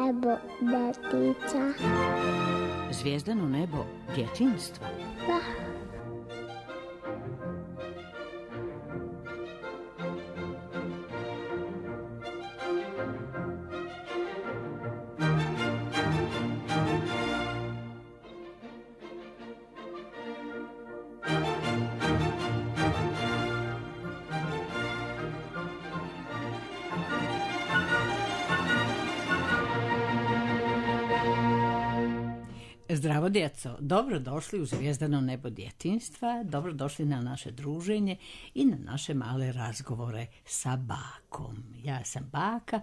nebo detica. Zvijezdano nebo djetinjstva. Da. Zdravo djeco, dobrodošli u Zvijezdano nebo djetinjstva, dobrodošli na naše druženje i na naše male razgovore sa bakom. Ja sam baka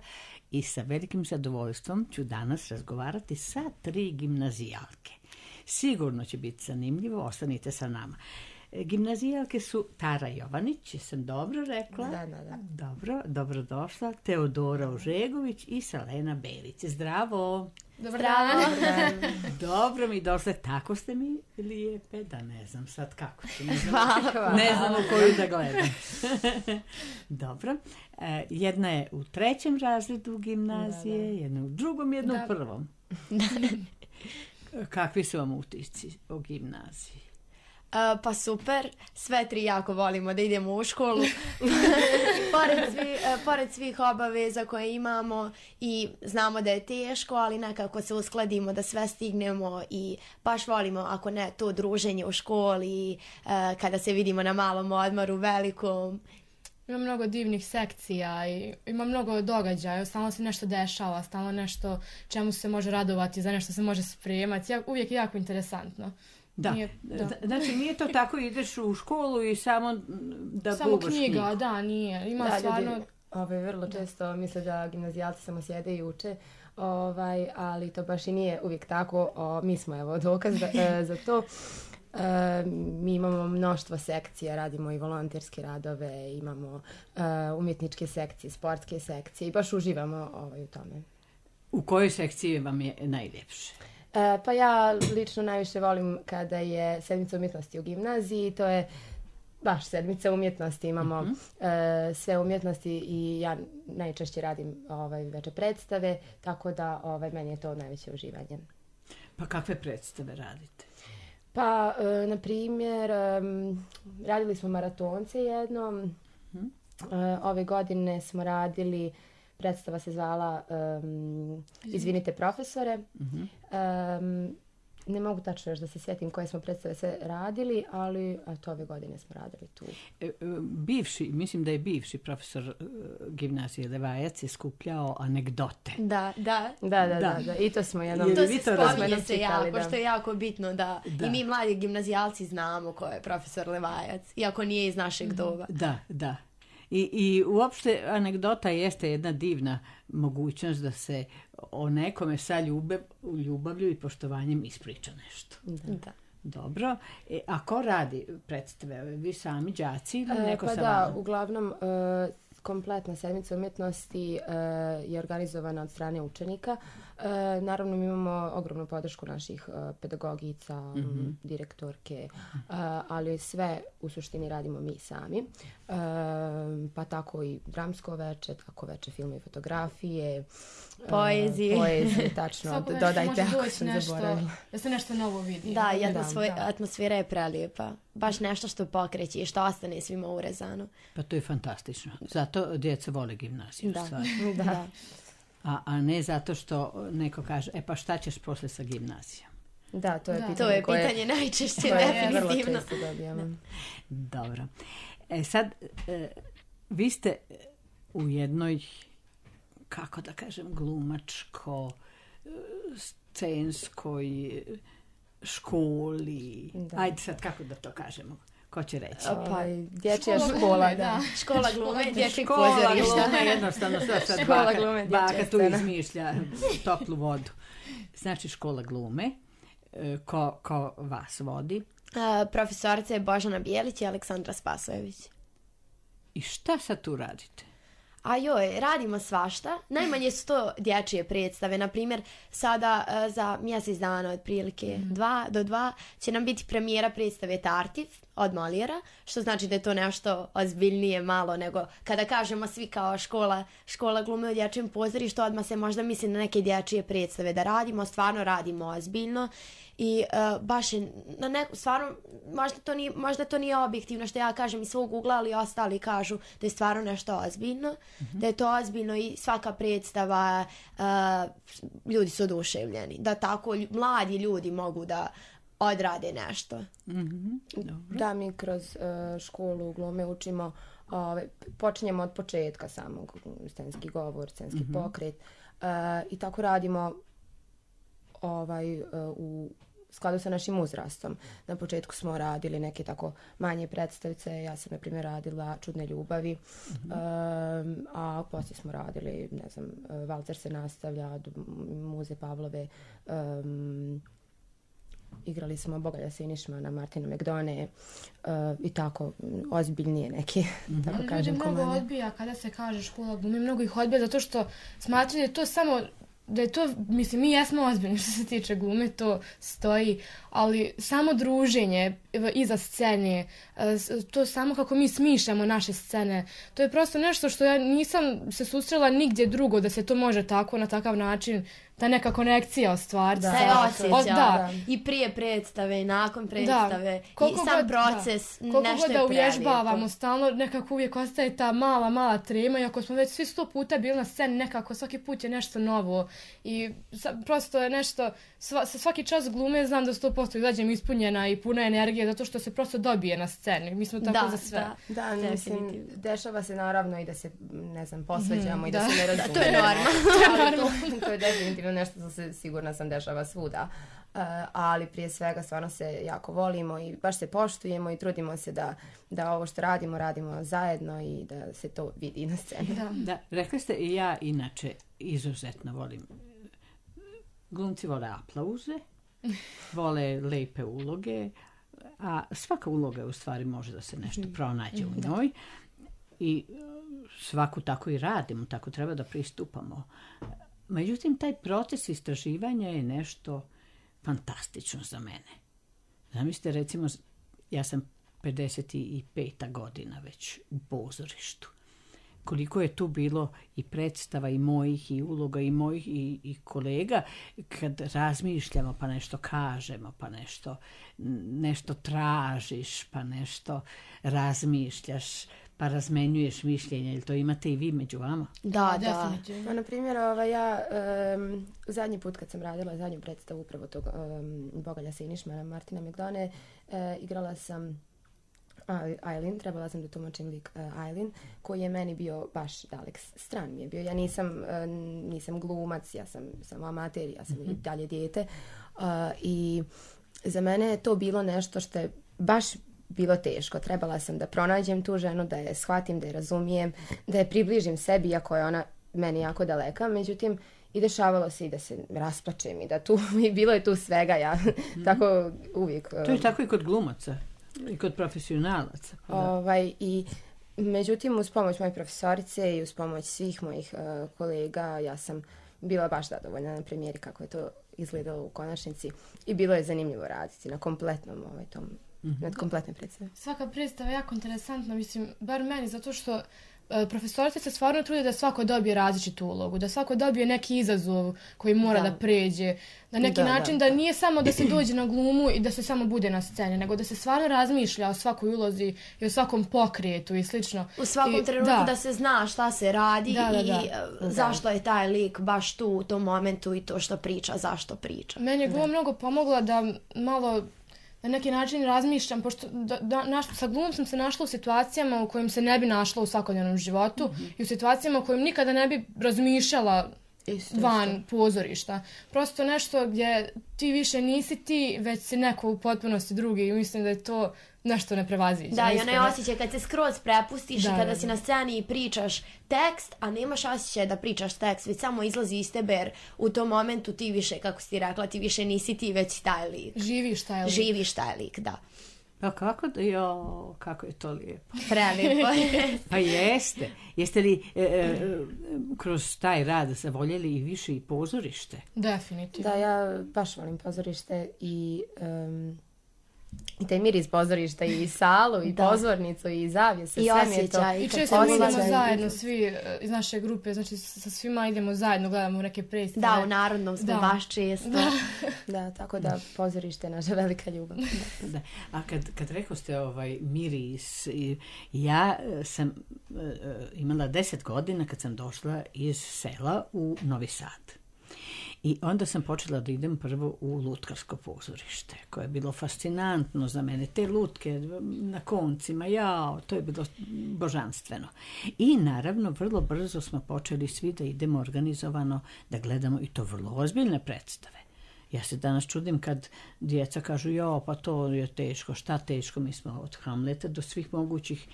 i sa velikim zadovoljstvom ću danas razgovarati sa 3 gimnazijalke. Sigurno će biti zanimljivo, ostanite sa nama. Gimnazijalke su Tara Jovanić, jesam dobro rekla? Da. Dobrodošla. Teodora Ožegović i Selena Berić. Zdravo! Dobar dan. Dobro mi došle, tako ste mi lijepe, da ne znam sad kako ću, ne znam u koju da gledam. Dobro, jedna je u 3. razredu gimnazije, jedna u 2., jedna u 1. Kakvi su vam utisci o gimnaziji? Pa super, sve 3 jako volimo da idemo u školu. Pored svih obaveza koje imamo i znamo da je teško, ali nekako se uskladimo da sve stignemo i baš volimo, ako ne, to druženje u školi, kada se vidimo na malom odmoru, velikom. Ima mnogo divnih sekcija i ima mnogo događaja, stalno se nešto dešava, stalno nešto čemu se može radovati, za nešto se može spremati, uvijek je jako interesantno. Da. Znači nije to tako, ideš u školu i samo da samo bubaš knjiga. Da, nije. Ima stvarno... Vrlo često misle da gimnazijalci samo sjede i uče, ali to baš i nije uvijek tako. Mi smo evo dokaz za to. Mi imamo mnoštvo sekcija, radimo i volonterske radove, imamo umjetničke sekcije, sportske sekcije i baš uživamo u tome. U kojoj sekciji vam je najljepše? Pa ja lično najviše volim kada je sedmica umjetnosti u gimnaziji, to je baš sedmica umjetnosti, imamo sve umjetnosti i ja najčešće radim veče predstave, tako da meni je to najveće uživanje. Pa kakve predstave radite? Pa, na primjer, radili smo maratonce jednom, ove godine smo radili... Predstava se zvala Izvinite profesore. Ne mogu tačno još da se sjetim koje smo predstave sve radili, ali ove godine smo radili tu. Mislim da je bivši profesor gimnazije Levajac je skupljao anegdote. Da. I to smo jednom... To se spominje se jako, što je jako bitno da i mi mladi gimnazijalci znamo ko je profesor Levajac, iako nije iz našeg doba. Da. I uopšte anegdota jeste jedna divna mogućnost da se o nekome sa ljubavlju i poštovanjem ispriča nešto. Da. Dobro. A ko radi predstave? Vi sami đaci ili neko sa vama? Da, uglavnom kompletna sedmica umjetnosti je organizovana od strane učenika. Naravno, mi imamo ogromnu podršku naših pedagogica, direktorke, ali sve u suštini radimo mi sami. Pa tako i dramsko veče, tako veče filma i fotografije, poezije, tačno, dodajte ako sam zaboravila. Da se nešto novo vidi. Da, i atmosfera je prelijepa. Baš nešto što pokreće i što ostane svima urezano. Pa to je fantastično. Zato djeca vole gimnaziju. Da. A ne zato što neko kaže, pa šta ćeš posle sa gimnazijom? Da, to je pitanje najčešće, definitivno. Dobro. Sad, vi ste u jednoj, kako da kažem, glumačko, scenskoj školi. Ajde sad, kako da to kažemo? Ko će reći? Pa dječja škola, da. Škola glume, dječjeg pozorišta. Škola glume, jednostavno sad baka tu izmišlja toplu vodu. Znači škola glume, ko vas vodi? Profesorica je Božana Bijelić i Aleksandra Spasojević. I šta sad tu radite? A joj, radimo svašta. Najmanje su to dječje predstave. Naprimjer, sada za mjesec dana otprilike 2 do 2 će nam biti premijera predstave Tartif od Moliera, što znači da je to nešto ozbiljnije malo nego kada kažemo svi kao škola glume u dječjem pozorištu, odmah se možda misli na neke dječje predstave da radimo, stvarno radimo ozbiljno. I baš je stvarno možda to nije objektivno što ja kažem iz svog ugla, ali ostali kažu da je stvarno nešto ozbiljno, da je to ozbiljno i svaka predstava ljudi su oduševljeni, da tako mladi ljudi mogu da odrade nešto. Da, mi kroz školu glume učimo, počinjemo od početka samog, scenski govor, scenski pokret i tako radimo u skladu sa našim uzrastom. Na početku smo radili neke tako manje predstavice, ja sam na primjer radila Čudne ljubavi, a poslije smo radili, ne znam, Valcer se nastavlja, Muze Pavlove, igrali smo Bogalja Sinišmana, Martina McDone i tako ozbiljnije neke, tako kažem, komande. Ljudi mnogo odbija kada se kaže škola glume, mnogo ih odbija zato što smatraju da je to samo da je to, mislim, mi jesmo ozbiljni što se tiče glume, to stoji, ali samo druženje iza scene, to samo kako mi smišljamo naše scene, to je prosto nešto što ja nisam se susrela nigdje drugo da se to može tako, na takav način, ta neka konekcija ostvariti. Da, se osjeća. I prije predstave, i nakon predstave, i sam proces, nešto je koliko god da uvježbavamo, stalno nekako uvijek ostaje ta mala trema, i ako smo već svi 100 puta bili na sceni, nekako svaki put je nešto novo i prosto je nešto, svaki čas glume znam da 100% izađem ispunjena i puna energije, zato što se prosto dobije na sceni. Mi smo tako za sve. Da, mislim, dešava se naravno i da se, ne znam, posveđamo i da se ne razumemo. To je normalno. To je definitivno nešto što se, sigurna sam, dešava svuda. Ali prije svega stvarno se jako volimo i baš se poštujemo i trudimo se da ovo što radimo zajedno i da se to vidi na sceni. Da, rekli ste i ja inače izuzetno volim. Glumci vole aplauze, vole lepe uloge, a svaka uloga u stvari može da se nešto pronađe u njoj i svaku tako i radimo, tako treba da pristupamo. Međutim, taj proces istraživanja je nešto fantastično za mene. Zamislite, recimo, ja sam 55. godina već u pozorištu. Koliko je tu bilo i predstava i mojih i uloga i mojih i kolega, kad razmišljamo pa nešto kažemo, pa nešto tražiš, pa nešto razmišljaš, pa razmenjuješ mišljenje. Ili to imate i vi među vama? Da. Pa, na primjer, ja zadnji put kad sam radila zadnju predstavu upravo tog Bogalja Sinišmana, Martina McDone, igrala sam Aileen, trebala sam da tumačim lik Aileen, koji je meni bio baš dalek stran mi je bio. Ja nisam glumac, ja sam samo amater, ja sam i dalje dijete. I za mene je to bilo nešto što je baš bilo teško. Trebala sam da pronađem tu ženu, da je shvatim, da je razumijem, da je približim sebi, iako je ona meni jako daleka. Međutim, i dešavalo se i da se rasplačem i da tu, i bilo je tu svega, ja tako uvijek. To je tako i kod glumaca. I kod profesionalaca. I međutim, uz pomoć moje profesorice i uz pomoć svih mojih kolega, ja sam bila baš zadovoljna na premijeri kako je to izgledalo u konačnici i bilo je zanimljivo raditi na kompletnom nad kompletne predstave. Svaka predstava je jako interesantna, mislim, bar meni, zato što profesorice se stvarno trude da svako dobije različitu ulogu, da svako dobije neki izazov koji mora da pređe. Na neki način da nije samo da se dođe na glumu i da se samo bude na sceni, nego da se stvarno razmišlja o svakoj ulozi i o svakom pokretu i slično. U svakom trenutku da se zna šta se radi i zašto je taj lik baš tu u tom momentu i to što priča, zašto priča. Meni je gluma mnogo pomogla da malo na neki način razmišljam, pošto sa glumom sam se našla u situacijama u kojim se ne bi našla u svakodnevnom životu i u situacijama u kojim nikada ne bi razmišljala van pozorišta. Prosto nešto gdje ti više nisi ti, već si neko u potpunosti drugi i mislim da je to nešto neprevaziđeno. Da, i onaj osjećaj kad se skroz prepustiš i kada si na sceni i pričaš tekst, a nemaš osjećaj da pričaš tekst, već samo izlazi iz tebe jer u tom momentu ti više, kako si ti rekla, ti više nisi ti, već si taj lik. Živiš taj lik, da. Pa kako je to lijepo. Prelijepo. Pa jeste. Jeste li kroz taj rad zavoljeli i više i pozorište? Definitivno. Da, ja baš volim pozorište i taj miris pozorišta i salu i pozornicu i zavjese. I sve mi je to. osjećaj. I često idemo osjećaj. zajedno svi iz naše grupe, znači sa svima idemo zajedno, gledamo neke predstave. Da, u Narodnom smo baš često. Da, tako da pozorište je naša velika ljubav. Da. A kad rekao ste miris, ja sam imala 10 godina kad sam došla iz sela u Novi Sad. I onda sam počela da idem prvo u lutkarsko pozorište, koje je bilo fascinantno za mene. Te lutke na koncima, to je bilo božanstveno. I naravno, vrlo brzo smo počeli svi da idemo organizovano, da gledamo i to vrlo ozbiljne predstave. Ja se danas čudim kad djeca kažu, pa to je teško, šta teško, mi smo od Hamleta do svih mogućih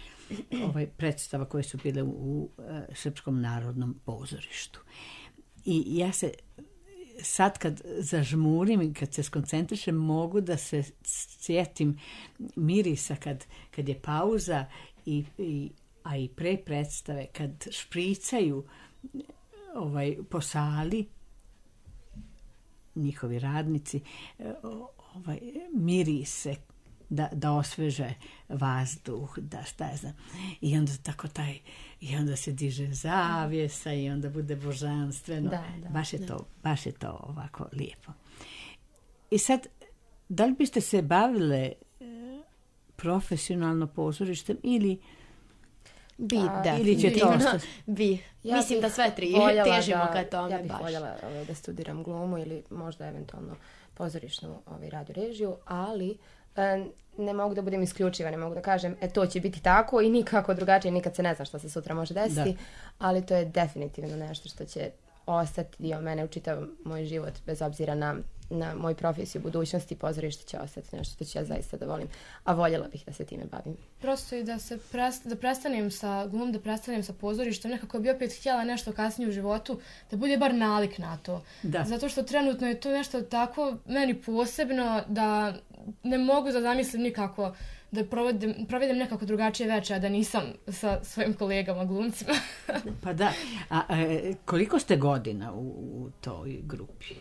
predstava koje su bile u Srpskom narodnom pozorištu. I ja se sad kad zažmurim i kad se skoncentrišem mogu da se sjetim mirisa kad je pauza a i pre predstave kad špricaju po sali njihovi radnici mirise da osveže vazduh, da šta je znam. I onda tako i onda se diže zavjesa i onda bude božanstveno. Da. Baš je to ovako lijepo. I sad, da li biste se bavile profesionalno pozorištem ili ili će to ostati? Mislim da sve tri težimo ka tome. Ja bih voljela da studiram glumu ili možda eventualno pozorišnu radio režiju, ali ne mogu da budem isključiva, ne mogu da kažem to će biti tako i nikako drugačije, nikad se ne zna što se sutra može desiti, ali to je definitivno nešto što će ostati dio mene u čitav moj život, bez obzira na moju profesiju, budućnosti, pozorište će ostati nešto što ću ja zaista da volim, a voljela bih da se time bavim. Prosto i da prestanem sa glumom, da prestanem sa pozorištem, nekako bi opet htjela nešto kasnije u životu, da bude bar nalik na to. Da. Zato što trenutno je to nešto tako meni posebno da ne mogu da zamislim nikako da provedem nekako drugačije večer, a da nisam sa svojim kolegama glumcima. Pa da. A koliko ste godina u toj grupi?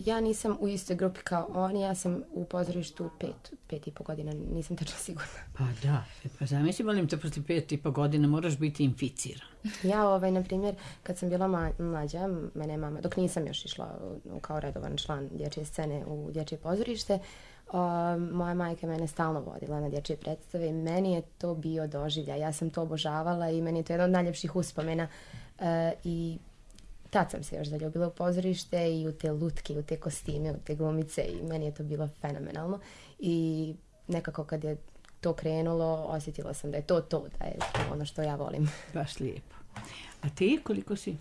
Ja nisam u istoj grupi kao oni, ja sam u pozorištu 5,5 godina, nisam tačno sigurna. Pa da, pa zamisli, volim te, posle 5,5 godina moraš biti inficiran. Ja, na primjer, kad sam bila mlađa, mene mama, dok nisam još išla kao redovan član dječje scene u dječje pozorište, moja majka mene stalno vodila na dječje predstave i meni je to bio doživljaj. Ja sam to obožavala i meni je to jedan od najljepših uspomena i tad sam se još zaljubila u pozorište i u te lutke, u te kostime, u te glumice i meni je to bilo fenomenalno i nekako kad je to krenulo osjetila sam da je to, da je ono što ja volim. Baš lijepo. A ti koliko si?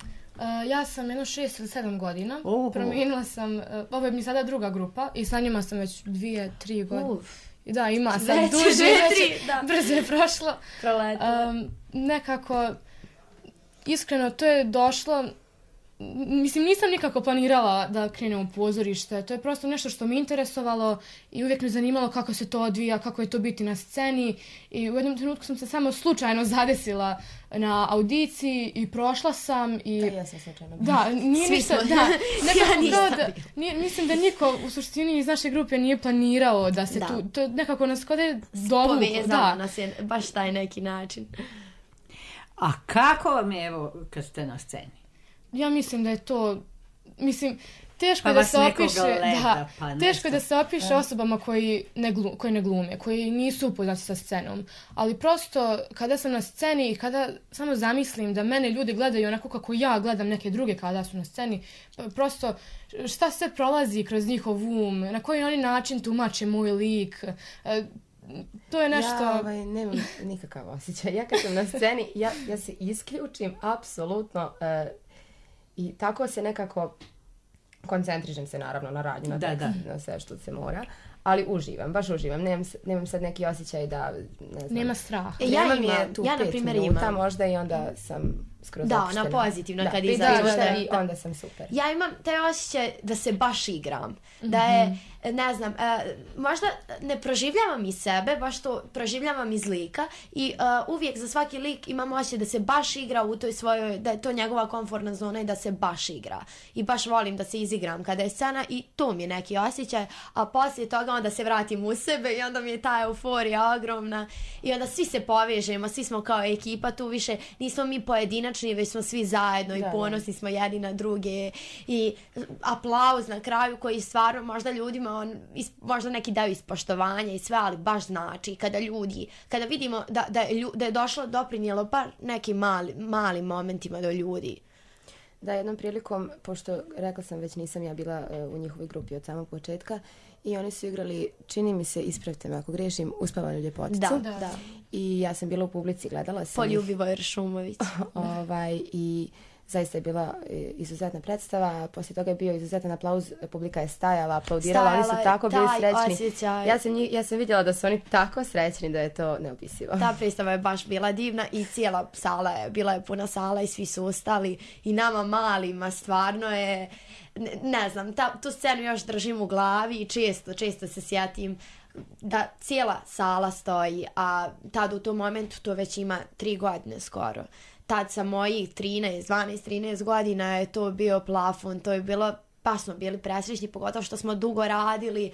Ja sam 6 ili 7 godina. Promijenila sam, ovo je mi sada druga grupa i sa njima sam već 2-3 godine. Da, ima sam duže, brzo je prošlo. Nekako, iskreno, to je došlo. Mislim, nisam nikako planirala da krenem u pozorište. To je prosto nešto što me interesovalo i uvijek me zanimalo kako se to odvija, kako je to biti na sceni. I u jednom trenutku sam se samo slučajno zadesila na audiciji i prošla sam. I ja sam slučajno. Da, nije ništa. Da, mislim da niko u suštini iz naše grupe nije planirao da se tu, to nekako nas kod je dovuklo. Povezalo nas je baš taj neki način. A kako vam je, evo, kad ste na sceni? Ja mislim da je to, teško je da se opiše, teško je da se opiše osobama koji ne glume, koji nisu upoznati sa scenom, ali prosto kada sam na sceni i kada samo zamislim da mene ljudi gledaju onako kako ja gledam neke druge kada su na sceni, prosto šta sve prolazi kroz njihov um, na koji oni način tumače moj lik, to je nešto... Ja nemam nikakav osjećaj. Ja kad sam na sceni, ja se isključim apsolutno i tako se nekako koncentrišem se naravno na radnju, na tekst, na sve što se mora, ali uživam, baš uživam. Nemam sad neki osjećaj da, ne znam... Nema straha. Ja na primjer imam. Možda i onda sam skroz opuštena. Da, na pozitivno kad izađeš. I onda sam super. Ja imam taj osjećaj da se baš igram. Da je ne znam, možda ne proživljavam iz sebe, baš to proživljavam iz lika i uvijek za svaki lik imam osjećaj da se baš igra u toj svojoj, da je to njegova komfortna zona i da se baš igra. I baš volim da se izigram kada je scena i to mi je neki osjećaj, a poslije toga onda se vratim u sebe i onda mi je ta euforija ogromna i onda svi se povežemo, svi smo kao ekipa, tu više nismo mi pojedinačni, već smo svi zajedno i ponosni smo jedni na druge i aplauz na kraju koji stvarno možda ljudima možda neki daju ispoštovanja i sve, ali baš znači kada vidimo da je došlo doprinijelo bar nekim malim momentima do ljudi. Da, jednom prilikom, pošto rekla sam već nisam ja bila u njihovoj grupi od samog početka i oni su igrali, čini mi se, ispravite me ako griješim, Uspavanu ljepoticu. Da. I ja sam bila u publici, gledala sam Poljubivoj Šumović. I zaista je bila izuzetna predstava, poslije toga je bio izuzetan aplauz, publika je stajala, aplaudirala, oni su tako bili srećni. Osjećaj. Ja sam vidjela da su oni tako srećni da je to neopisivo. Ta predstava je baš bila divna i cijela sala je, bila je puna sala i svi su ostali i nama malima stvarno je, ne znam, tu scenu još držim u glavi i često se sjetim da cijela sala stoji, a tad u tom momentu to već ima 3 godine skoro. Tad sa mojih 12-13 godina je to bio plafon, to je bilo, pa smo bili presrećni, pogotovo što smo dugo radili,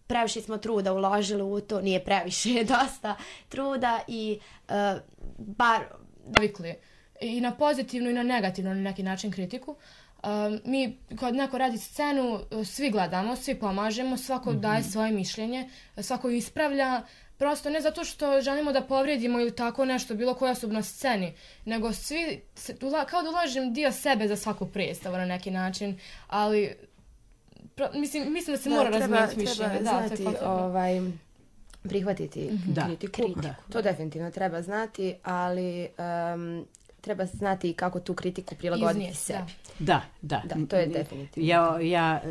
previše smo truda uložili u to, nije previše, dosta truda i bar... Navikli i na pozitivnu i na negativnu na neki način kritiku. Mi kad neko radi scenu, svi gledamo, svi pomažemo, svako daje svoje mišljenje, svako ispravlja, prosto ne zato što želimo da povrijedimo ili tako nešto, bilo koja osoba na sceni, nego svi, kao da ulažem dio sebe za svaku predstavu na neki način, ali mislim da se mora razmijeniti mišljenje. Treba znati, prihvatiti kritiku. To definitivno treba znati, ali treba znati kako tu kritiku prilagoditi sebi. Da, to je definitivno. Ja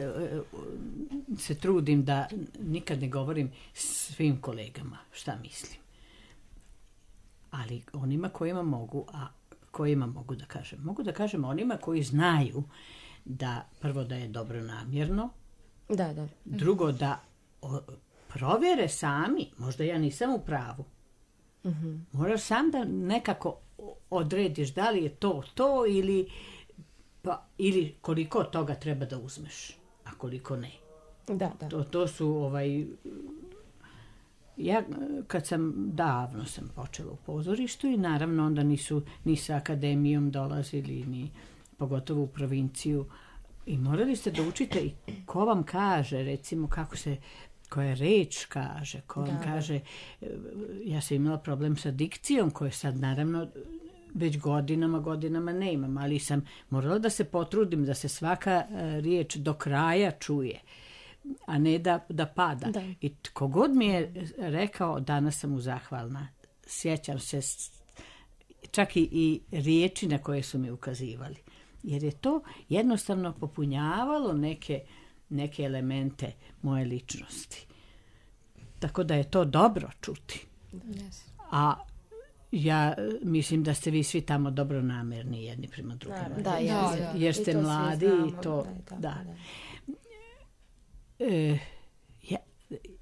se trudim da nikad ne govorim svim kolegama šta mislim. Ali onima kojima mogu da kažem. Mogu da kažem onima koji znaju da prvo da je dobro namjerno, drugo da provjere sami, možda ja nisam u pravu. Moraš sam da nekako odrediš da li je to ili koliko toga treba da uzmeš, a koliko ne. To su ja davno sam počela u pozorištu i naravno onda nisu ni sa akademijom dolazili, ni pogotovo u provinciju i morali ste da učite i ko vam kaže, recimo kako se koja reč kaže, ko vam kaže, ja sam imala problem sa dikcijom koje sad naravno već godinama ne imam, ali sam morala da se potrudim da se svaka riječ do kraja čuje, a ne da pada. I kogod mi je rekao, danas sam mu zahvalna. Sjećam se čak i riječi na koje su mi ukazivali. Jer je to jednostavno popunjavalo neke elemente moje ličnosti. Tako da je to dobro čuti. A ja mislim da ste vi svi tamo dobronamerni jedni prema drugima. Jer ste mladi i to...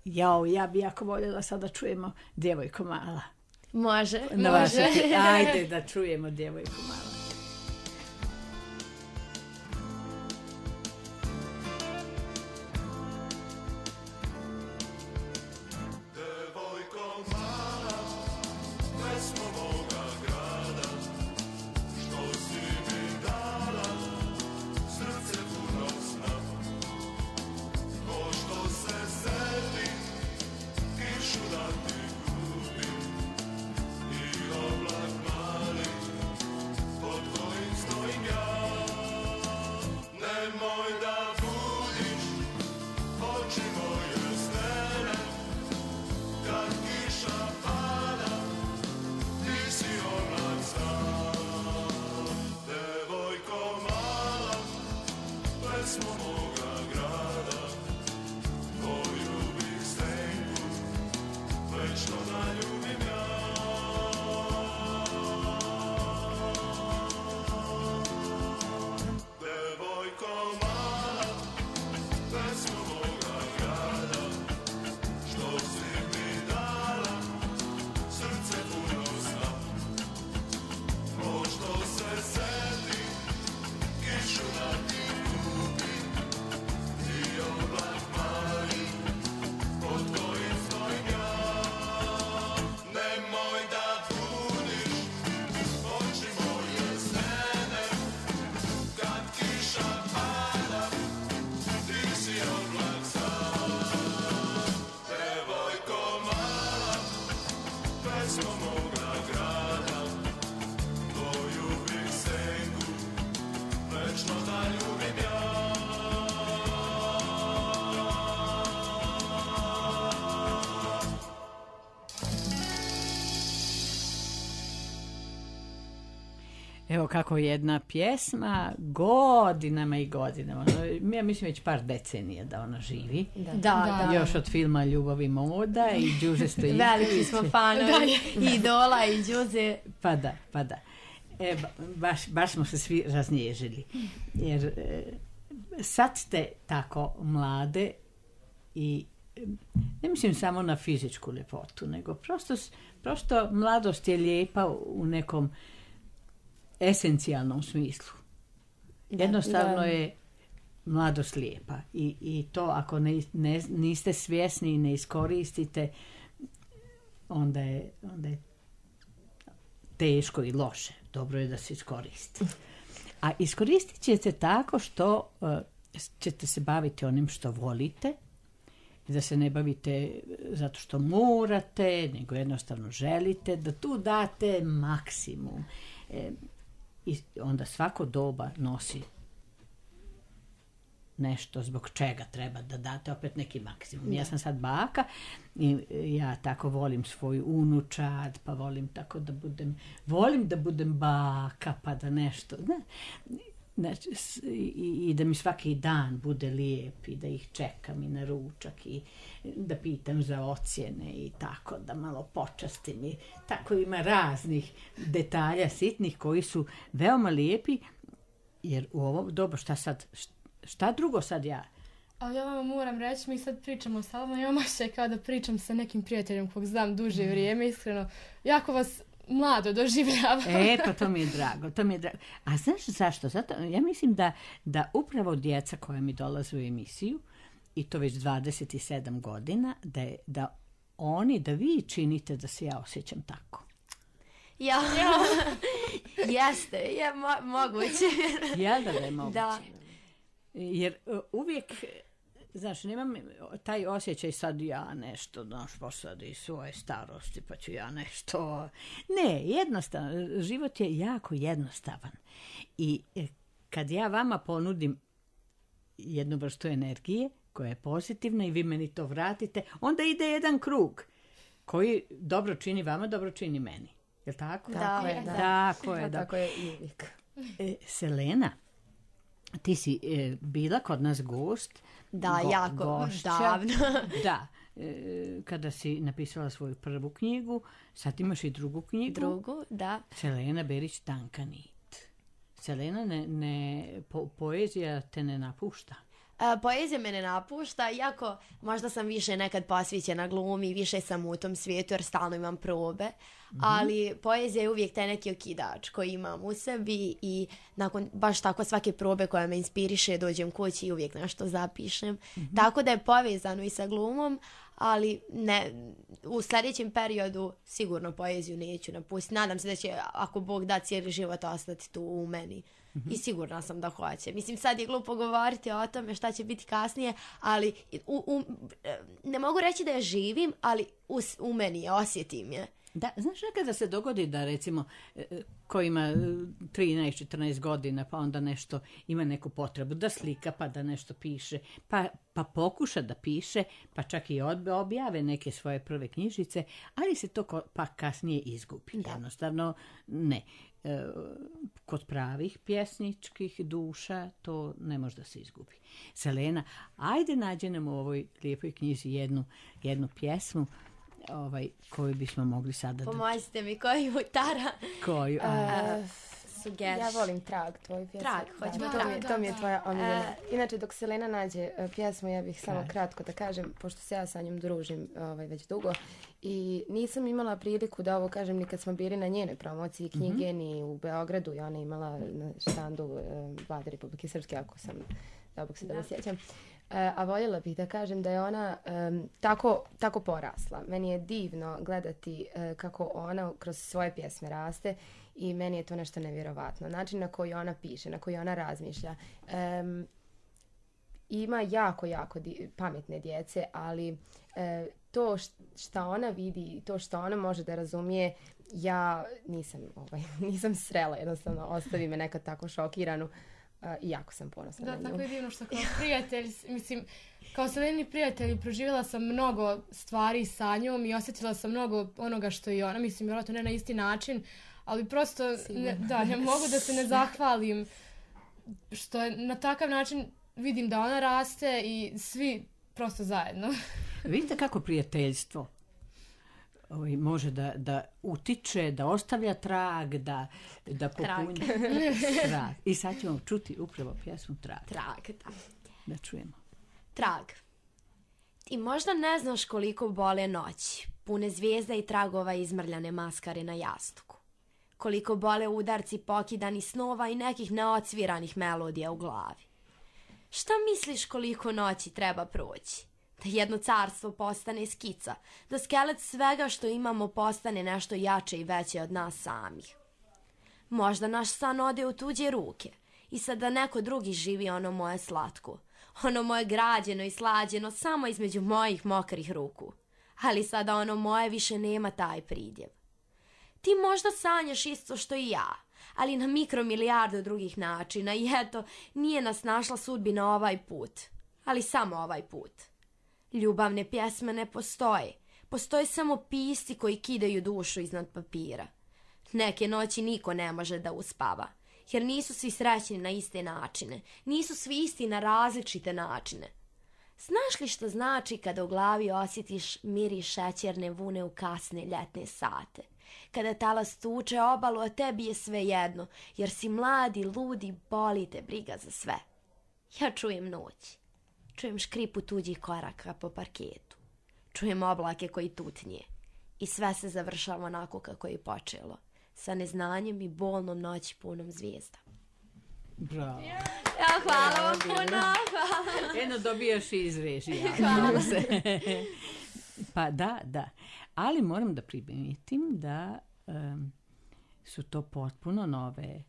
Ja bi jako voljela sad da čujemo Djevojko mala. Može. Ajde da čujemo Djevojko mala. Evo kako jedna pjesma godinama i godinama, ja mislim već par decenija da ona živi. Da. Još od filma Ljubav i moda i Đuže Stojiljković. Veliki smo fanovi Idola i Đuze. Pa da. Baš smo se svi raznježili. Jer sad ste tako mlade i ne mislim samo na fizičku ljepotu, nego prosto mladost je lijepa u nekom esencijalnom smislu. Jednostavno je mladost lijepa i to ako niste svjesni i ne iskoristite, onda je teško i loše. Dobro je da se iskoristi. A iskoristit ćete tako što ćete se baviti onim što volite, da se ne bavite zato što morate, nego jednostavno želite, da tu date maksimum. I onda svako doba nosi nešto zbog čega treba da date opet neki maksimum. Ja sam sad baka i ja tako volim svoju unučad, pa volim tako da budem baka, pa da nešto, znači, i da mi svaki dan bude lijep i da ih čekam i na ručak i da pitam za ocjene i tako da malo počastim i tako ima raznih detalja sitnih koji su veoma lijepi, jer u ovo doba šta drugo sad ja? Ali ja vam moram reći, mi sad pričamo sa vama, ja mašaj kao da pričam sa nekim prijateljem kog znam duže vrijeme, iskreno, jako vas mlado doživljavam. Pa to mi je drago. A znaš zašto? Zato, ja mislim da upravo djeca koja mi dolaze u emisiju, i to već 27 godina, da vi činite da se ja osjećam tako. Ja. Jeste, je moguće. Jel da je moguće? Da. Jer uvijek, znaš, nemam taj osjećaj sad ja nešto, posadi svoje starosti, pa ću ja nešto. Ne, jednostavno, život je jako jednostavan. I kad ja vama ponudim jednu vrstu energije koja je pozitivna i vi meni to vratite, onda ide jedan krug koji dobro čini vama, dobro čini meni. Je li tako? Tako je i uvijek. Selena, ti si bila kod nas gost. Da, jako gošća, davno. Da, kada si napisala svoju prvu knjigu, sad imaš i drugu knjigu. Drugu, da. Selena Berić, Tanka nit. Selena, poezija te ne napušta. Poezija me ne napušta, iako možda sam više nekad posvećena glumi, više sam u tom svijetu jer stalno imam probe, ali poezija je uvijek taj neki okidač koji imam u sebi i nakon baš tako svake probe koja me inspiriše dođem kući i uvijek nešto zapišem. Tako da je povezano i sa glumom, ali ne, u sljedećem periodu sigurno poeziju neću napustiti. Nadam se da će, ako Bog da, cijeli život ostati tu u meni. I sigurna sam da hoće. Mislim, sad je glupo govoriti o tome šta će biti kasnije, ali ne mogu reći da je živim, ali u meni je, osjetim je. Da, znaš, nekada se dogodi da recimo ko ima 13-14 godina pa onda nešto ima neku potrebu da slika pa da nešto piše, pa pokuša da piše, pa čak i objave neke svoje prve knjižice, ali se to pa kasnije izgubi. Jednostavno ne. Kod pravih pjesničkih duša to ne može da se izgubi. Selena, ajde nađi nam u ovoj lijepoj knjizi jednu pjesmu koju bismo mogli sada da... Pomozite mi, koju Tara? Koju? Ja volim Trag, tvoju pjesmu. Trag, hoćemo Trag. To mi je tvoja omiljena. Inače, dok Selena nađe pjesmu, ja bih samo kratko da kažem, pošto se ja sa njom družim već dugo i nisam imala priliku da ovo kažem ni kad smo bili na njenoj promociji knjige, ni u Beogradu i ona imala na štandu Vlade Republike Srpske, ako sam, da Bog se da sjećam. A voljela bih da kažem da je ona tako porasla. Meni je divno gledati kako ona kroz svoje pjesme raste i meni je to nešto nevjerovatno. Način na koji ona piše, na koji ona razmišlja. Ima jako pametne djece, ali to što ona vidi, to što ona može da razumije, ja nisam srela, jednostavno ostavi me nekad tako šokiranu. I jako sam ponosna na nju. Da, tako je divno što kao prijatelj, mislim, kao Seleni prijatelji proživjela sam mnogo stvari sa njom i osjetila sam mnogo onoga što i ona, mislim, vjerojatno ne na isti način, ali prosto ne mogu da se ne zahvalim što je na takav način vidim da ona raste i svi prosto zajedno. Vidite kako prijateljstvo može da utiče, da ostavlja trag, da popunja trag. I sad ćemo čuti upravo pjesmu Trag. Trag, da. Da čujemo. Trag. Ti možda ne znaš koliko bole noći, pune zvijezda i tragova izmrljane maskare na jastuku. Koliko bole udarci pokidani snova i nekih neocviranih melodija u glavi. Šta misliš koliko noći treba proći? Da jedno carstvo postane skica, da skelet svega što imamo postane nešto jače i veće od nas samih. Možda naš san ode u tuđe ruke i sad da neko drugi živi ono moje slatko, ono moje građeno i slađeno samo između mojih mokrih ruku. Ali sada ono moje više nema taj pridjev. Ti možda sanjaš isto što i ja, ali na mikromilijardu drugih načina i eto, nije nas našla sudbina ovaj put, ali samo ovaj put. Ljubavne pjesme ne postoje, postoje samo pisci koji kidaju dušu iznad papira. Neke noći niko ne može da uspava, jer nisu svi srećni na iste načine, nisu svi isti na različite načine. Znaš li što znači kada u glavi osjetiš miris šećerne vune u kasne ljetne sate? Kada talas tuče obalu, a tebi je sve jedno, jer si mladi, ludi, boli te briga za sve. Ja čujem noć, čujem škripu tuđih koraka po parketu, čujem oblake koji tutnje i sve se završava onako kako je počelo, sa neznanjem i bolnom noći punom zvijezda. Bravo. Ja, hvala vam puno. Eno dobijaš i iz režija. Hvala. Pa da. Ali moram da primijetim da su to potpuno nove...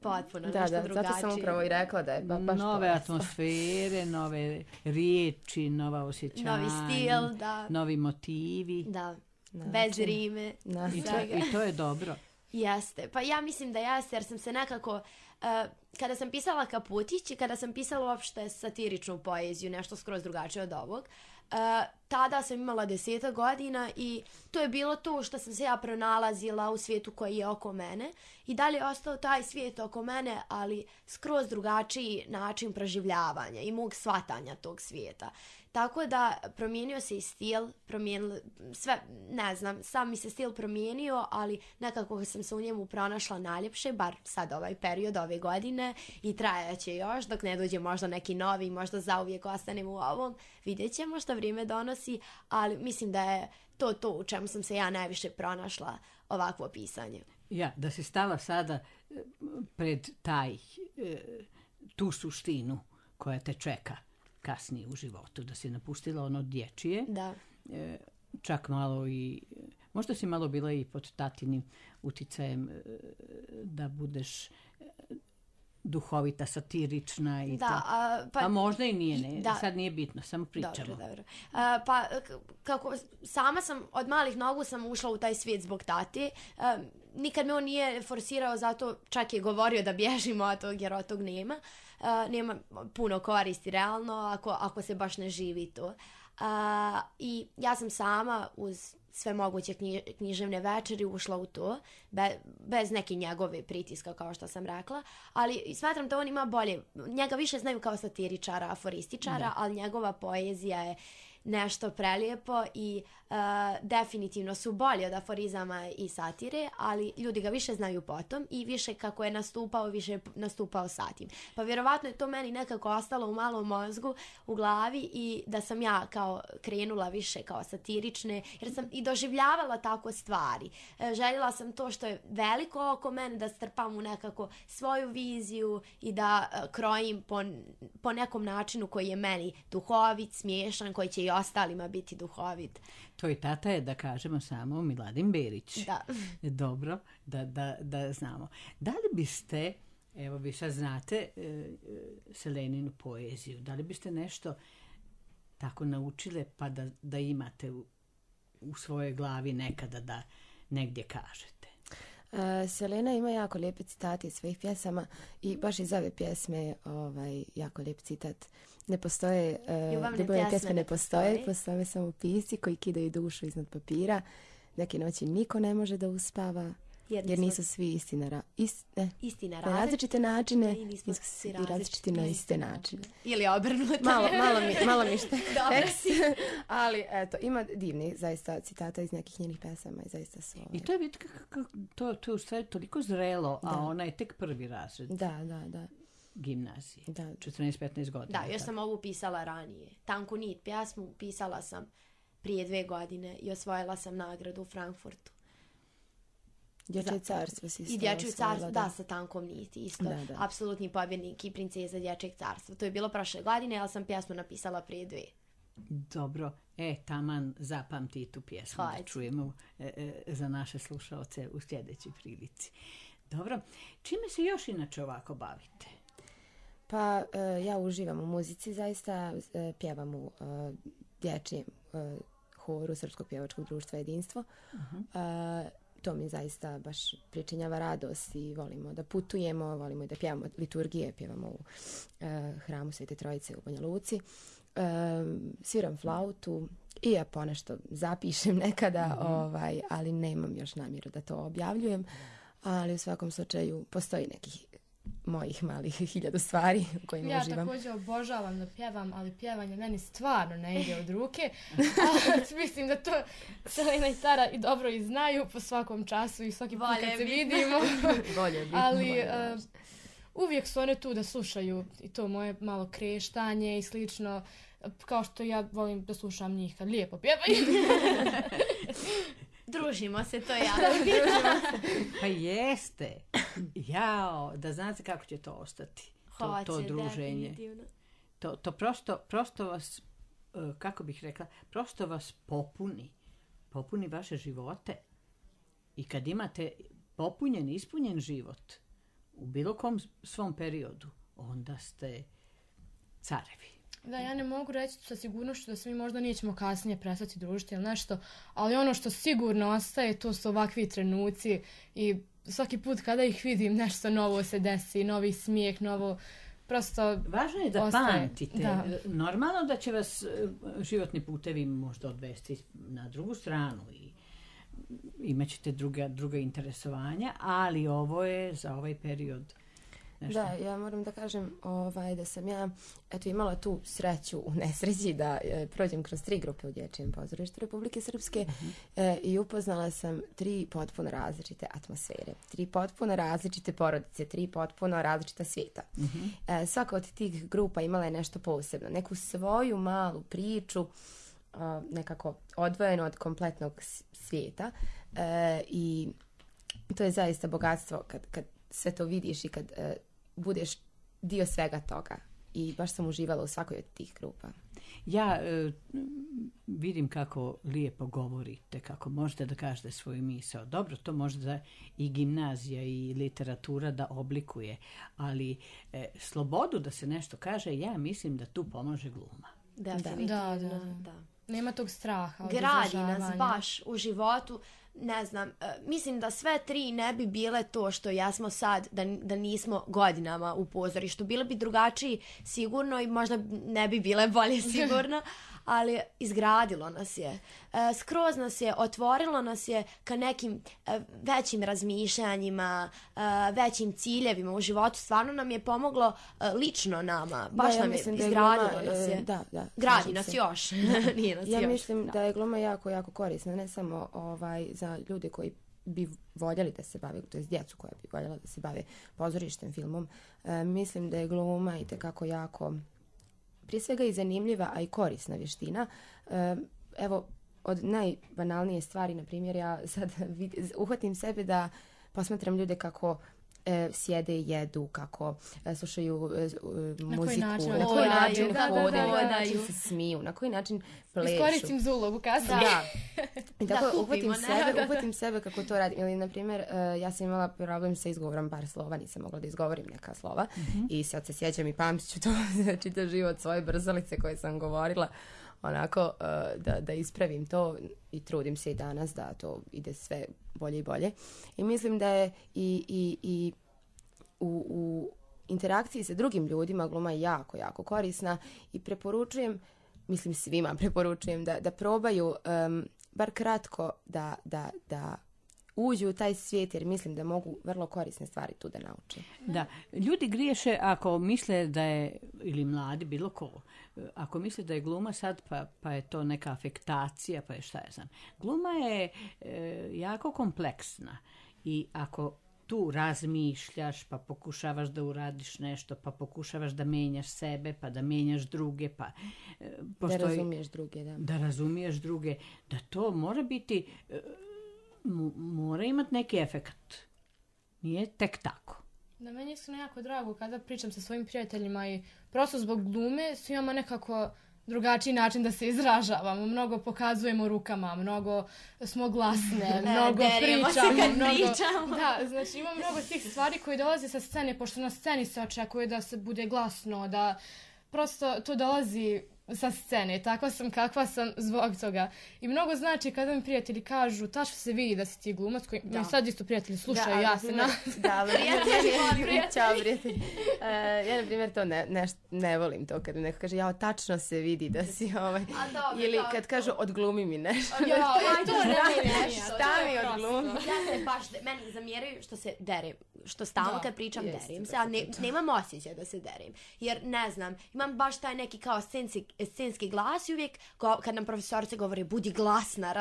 Potpuno, da, nešto drugačije. Zato sam upravo i rekla da je baš nove atmosfere, nove riječi, nova osjećanja. Novi stil, da. Novi motivi. Da, bez rime. I to je dobro. Jeste, pa ja mislim da jeste, jer sam se nekako, kada sam pisala Kaputić i kada sam pisala uopšte satiričnu poeziju, nešto skroz drugačije od ovog, tada sam imala 10 godina i to je bilo to što sam se ja pronalazila u svijetu koji je oko mene i dalje je ostao taj svijet oko mene, ali skroz drugačiji način proživljavanja i mog shvatanja tog svijeta. Tako da promijenio se i stil, sve, ne znam, sam mi se stil promijenio, ali nekako sam se u njemu pronašla najljepše, bar sad ovaj period ove godine i trajaće još dok ne dođe možda neki novi, možda zauvijek ostanem u ovom, vidjet ćemo što vrijeme donosi, ali mislim da je to u čemu sam se ja najviše pronašla ovakvo pisanje. Ja, da si stala sada pred tu suštinu koja te čeka kasnije u životu, da si napustila ono dječje, da. Čak malo i, možda si malo bila i pod tatinim uticajem da budeš duhovita, satirična i da, to. A možda i nije, sad nije bitno, samo pričamo. Dobro. Pa kako sama sam, od malih nogu sam ušla u taj svijet zbog tati. Nikad me on nije forsirao, zato čak je govorio da bježimo od tog, jer od tog nema. Nema puno koristi realno ako se baš ne živi to. I ja sam sama uz sve moguće književne večeri ušla u to, bez neke njegove pritiska, kao što sam rekla, ali smatram da on ima bolje, njega više znaju kao satiričara, aforističara, ali njegova poezija je nešto prelijepo i definitivno su bolji od aforizama i satire, ali ljudi ga više znaju potom i više kako je nastupao, više je nastupao sa tim. Pa vjerovatno je to meni nekako ostalo u malom mozgu, u glavi i da sam ja kao krenula više kao satirične, jer sam i doživljavala tako stvari. Željela sam to što je veliko oko mene, da strpam u nekako svoju viziju i da krojim po nekom načinu koji je meni duhovit, smiješan, koji će i ostalima biti duhovit. Tvoj tata je, da kažemo samo, Miladin Berić. Da. Dobro, da znamo. Da li biste, evo vi sad znate Seleninu poeziju, da li biste nešto tako naučile pa da imate u svojoj glavi nekada da negdje kažete? Selena ima jako lijepe citate iz svojih pjesama i baš iz ove pjesme jako lijep citat. Ne postoje, ljubavne pjesme ne postoje samo pisci koji kidaju dušu iznad papira. Neke noći niko ne može da uspava, jer nisu svi istina istina na različite načine i nismo i različiti na iste načine. Ili obrnuto. malo mi tekst. Ali eto, ima divnih zaista citata iz nekih njenih pesama i zaista su... I to je vidite to je u stvari toliko zrelo, a ona je tek prvi razred. Da. Gimnazije. Da. 14-15 godina. Da, još sam ovu pisala ranije. Tanku nit pjesmu pisala sam prije 2 godine i osvojila sam nagradu u Frankfurtu. Dječje carstvo si I Dječje carstvo, da, sa Tankom niti isto. Da. Apsolutni pobjednik i princeza Dječjeg carstva. To je bilo prošle godine, ali sam pjesmu napisala prije 2. Dobro, taman zapamti tu pjesmu da čujemo za naše slušalce u sljedećoj prilici. Dobro, čime se još inače ovako bavite? Pa ja uživam u muzici, zaista pjevam u dječjem horu Srpskog pjevačkog društva Jedinstvo. To mi zaista baš pričinjava radost i volimo da putujemo, volimo da pjevamo liturgije, pjevamo u hramu Svete Trojice u Banja Luci. Sviram flautu i ja ponešto zapišem nekada, ali nemam još namjeru da to objavljujem. Ali u svakom slučaju postoji nekih mojih malih 1000 stvari u kojima uživam. Ja također obožavam da pjevam, ali pjevanje meni stvarno ne ide od ruke. Mislim da to Selena i Tara i dobro i znaju po svakom času i svaki put kad se vidimo. Ali uvijek su one tu da slušaju i to moje malo kreštanje i slično. Kao što ja volim da slušam njih kad lijepo pjevaju. Družimo se, to ja. Pa jeste. Jao, da znate kako će to ostati. To druženje. To prosto vas, kako bih rekla, prosto vas popuni vaše živote. I kad imate popunjen, ispunjen život u bilo kom svom periodu, onda ste carevi. Da, ja ne mogu reći sa sigurnošću da se mi možda nećemo kasnije prestati družiti ili nešto, ali ono što sigurno ostaje, to su ovakvi trenuci i svaki put kada ih vidim nešto novo se desi, novi smijeh, novo prosto važno je da ostaje. pamtite. Da. Normalno da će vas životni putevi možda odvesti na drugu stranu i imat ćete druga interesovanja, ali ovo je za ovaj period nešto. Da, ja moram da kažem da sam ja imala tu sreću u nesreći da prođem kroz 3 grupe u Dječjem pozorištu Republike Srpske i upoznala sam 3 potpuno različite atmosfere, 3 potpuno različite porodice, 3 potpuno različita svijeta. Svaka od tih grupa imala je nešto posebno, neku svoju malu priču, nekako odvojeno od kompletnog svijeta i to je zaista bogatstvo kad sve to vidiš i kad budeš dio svega toga. I baš sam uživala u svakoj od tih grupa. Ja vidim kako lijepo govorite, kako možete da kažete svoju misao. Dobro, to možda i gimnazija i literatura da oblikuje, ali slobodu da se nešto kaže, ja mislim da tu pomože gluma. Definitivno, da. Nema tog straha. Gradi nas baš u životu. Ne znam, mislim da sve 3 ne bi bile to što jesmo sad, da nismo godinama u pozorištu. Bile bi drugačiji sigurno i možda ne bi bile bolje sigurno, ali izgradilo nas je. Skroz nas je, otvorilo nas je ka nekim većim razmišljanjima, većim ciljevima u životu. Stvarno nam je pomoglo lično nama. Baš nam je izgradilo nas je. Gradi nas još. Nije nas ja mislim da je gluma jako, jako korisna. Ne samo za ljude koji bi voljeli da se bave, to je djecu koja bi voljela da se bave pozorištem, filmom. Mislim da je gluma itekako jako, prije svega i zanimljiva, a i korisna vještina. Evo, od najbanalnije stvari, na primjer, ja sad uhvatim sebe da posmatram ljude kako sjede i jedu, kako slušaju muziku, na koji način hodaju, se smiju, na koji način plešu. Iskoristim za ulogu kasnije. Da. I tako uhvatim sebe kako to radim. Ili, na primjer, ja sam imala problem sa izgovorom par slova, nisam mogla da izgovorim neka slova i sad se sjećam i pamtit ću to čitav život svoje brzalice koje sam govorila, onako da ispravim to i trudim se i danas da to ide sve bolje i bolje. I mislim da je i u interakciji sa drugim ljudima gluma je jako, jako korisna i preporučujem, mislim svima preporučujem da probaju bar kratko da uđu u taj svijet jer mislim da mogu vrlo korisne stvari tu da nauče. Da, ljudi griješe ako misle da je, ili mladi, bilo ko, ako misle da je gluma sad pa je to neka afektacija, pa je šta ja znam. Gluma je jako kompleksna i ako tu razmišljaš, pa pokušavaš da uradiš nešto, pa pokušavaš da menjaš sebe, pa da menjaš druge, pa da razumiješ druge, da. Da razumiješ druge, da to mora biti, mora imati neki efekt. Nije tek tako. Da, meni je iskreno jako drago kada pričam sa svojim prijateljima i prosto zbog glume svi imamo nekako drugačiji način da se izražavamo. Mnogo pokazujemo rukama, mnogo smo glasne, mnogo pričamo. Da, znači imamo mnogo tih stvari koje dolaze sa scene, pošto na sceni se očekuje da se bude glasno, da prosto to dolazi sa scene. Takva sam kakva sam zbog toga. I mnogo znači kada mi prijatelji kažu tačno se vidi da si ti glumac, koji mi sad isto prijatelji slušaju, ja se na... Da, prijatelji. Ja, na primjer, to ne volim to kad neko kaže, ja, tačno se vidi da si ili kad kažu, odglumi mi nešto. Šta mi odglumi? Ja se baš, meni zamjeraju što se derim, što stalno kad pričam derim se, a nemam osjećaj da se derim. Jer, ne znam, imam baš taj neki kao scenski glas i uvijek kad nam profesorica govori budi glasna,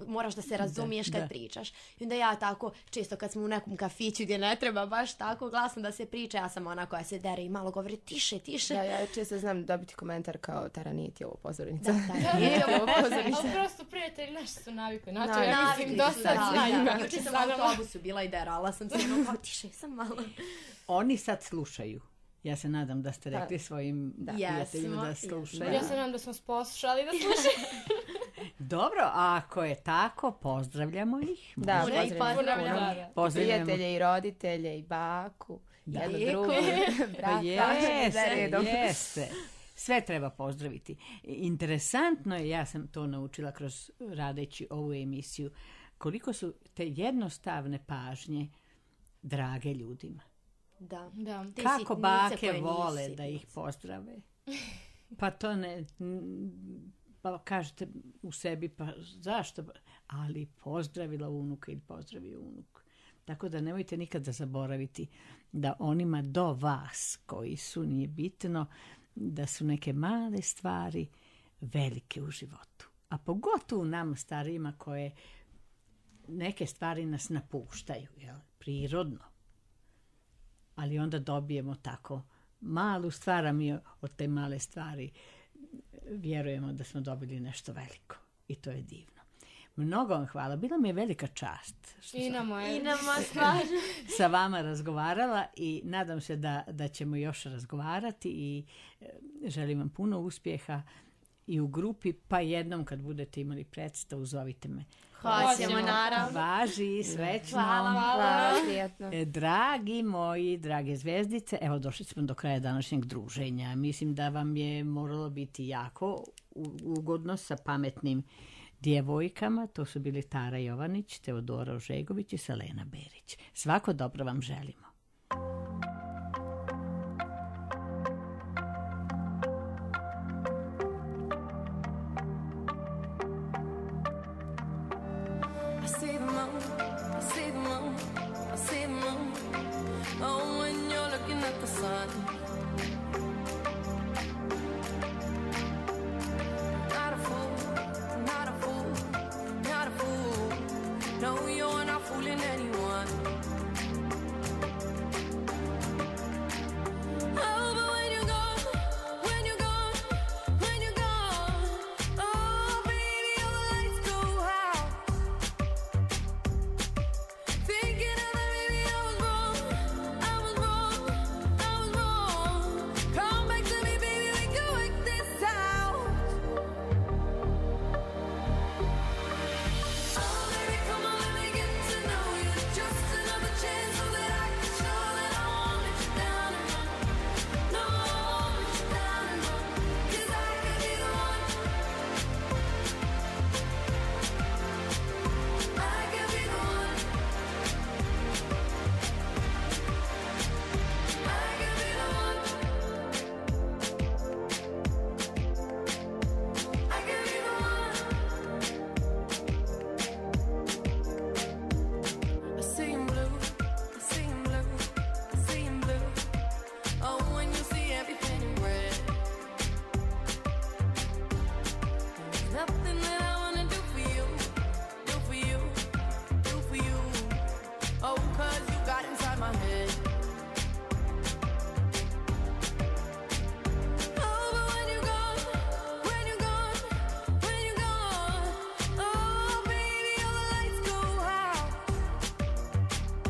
moraš da se razumiješ kad pričaš. I onda ja tako, često kad smo u nekom kafiću gdje ne treba baš tako glasno da se priča, ja sam ona koja se dere i malo govori tiše. Da, ja često znam dobiti komentar kao Taraniti ovo pozornica. Ali prosto prijatelji naši su navikli. Znači, ja mislim dosta znaju. Juče sam u autobusu bila i derala sam se kao tiše, sam malo. Oni sad slušaju. Ja se nadam da ste rekli svojim prijateljima da slušaju. Ja se nadam da smo poslušali da slušaju. Dobro, a ako je tako, pozdravljamo ih. Da, pozdravljamo. Prijatelje i roditelje i baku. Jedno drugo. Jeste. Sve treba pozdraviti. Interesantno je, ja sam to naučila kroz radeći ovu emisiju, koliko su te jednostavne pažnje drage ljudima. Da. Kako bake vole da ih pozdrave. Pa to ne... Pa kažete u sebi, pa zašto? Ali pozdravila unuka ili pozdravio unuk. Tako da nemojte nikada zaboraviti da onima do vas koji su, nije bitno, da su neke male stvari velike u životu. A pogotovo nama starijima koje neke stvari nas napuštaju, jel? Prirodno. Ali onda dobijemo tako malu stvar, a mi od te male stvari vjerujemo da smo dobili nešto veliko. I to je divno. Mnogo vam hvala. Bila mi je velika čast. I nama sa vama razgovarala i nadam se da ćemo još razgovarati i želim vam puno uspjeha i u grupi, pa jednom kad budete imali predstavu, zovite me. Hoćemo, naravno. Važi, srećno. Hvala. Dragi moji, drage zvezdice, evo došli smo do kraja današnjeg druženja. Mislim da vam je moralo biti jako ugodno sa pametnim djevojkama. To su bili Tara Jovanić, Teodora Ožegović i Selena Berić. Svako dobro vam želimo.